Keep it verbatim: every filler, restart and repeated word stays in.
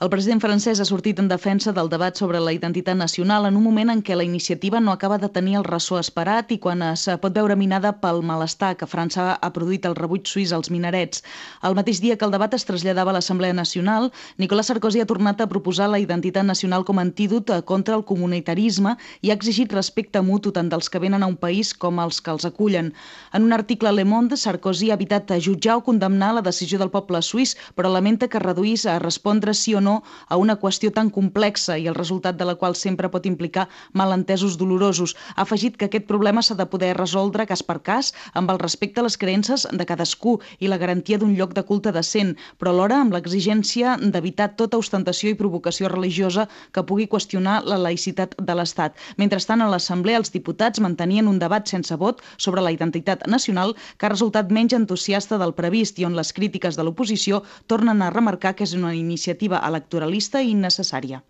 El president francès ha sortit en defensa del debat sobre la identitat nacional en un moment en què la iniciativa no acaba de tenir el ressò esperat i quan es pot veure minada pel malestar que França ha produït el rebuig suís als minarets. El mateix dia que el debat es traslladava a l'Assemblea Nacional, Nicolas Sarkozy ha tornat a proposar la identitat nacional com a antídot contra el comunitarisme i ha exigit respecte mutu tant dels que venen a un país com als que els acullen. En un article a Le Monde, Sarkozy ha evitat jutjar o condemnar la decisió del poble suís, però lamenta que reduís a respondre sí o no a una qüestió tan complexa i el resultat de la qual sempre pot implicar malentesos dolorosos. Ha afegit que aquest problema s'ha de poder resoldre cas per cas amb el respecte a les creences de cadascú i la garantia d'un lloc de culte decent, però alhora amb l'exigència d'evitar tota ostentació i provocació religiosa que pugui qüestionar la laïcitat de l'Estat. Mentrestant, a l'Assemblea els diputats mantenien un debat sense vot sobre la identitat nacional que ha resultat menys entusiasta del previst i on les crítiques de l'oposició tornen a remarcar que és una iniciativa electoralista i innecessària.